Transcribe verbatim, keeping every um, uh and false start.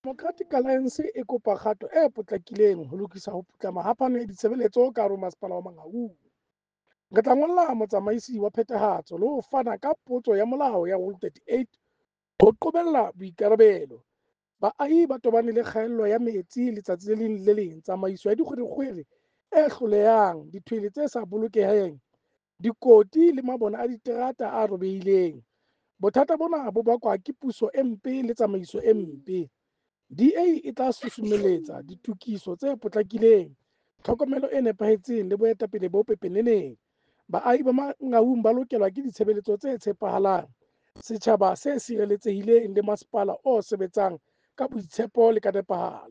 Democratic Alliance e kopa kgato e potlakileng ho lokisa ho putlama ha phano ya ditshebeletso ka hare ho Masepala wa Mangaung. Re tla ngolla motsamaisi wa phethahatso le ho fana ka potso ya molao ya Rule thirty-eight ho qobella boikarabelo. Baahi ba tobane le kgaello ya metsi letsatsi le leng le leng, tsamaiso ya dikgwerekgwere e hlolehang, dithwele tse sa bolokeheng, dikoti le mabone a diterata a robehileng. Bothata bona bo bakwa ke puso e mpe le tsamaiso e mpe. D A e tla susumelletsa ditokiso tse potlakileng, tlhokomelo e nepahetseng le boetapele bo pepeneneng. Baahi ba Mangaung ba lokelwa ke ditshebeletso tse tshepahalang, setjhaba se sireletsehileng le masepala o sebetsang ka boitshepo le ka nepahalo.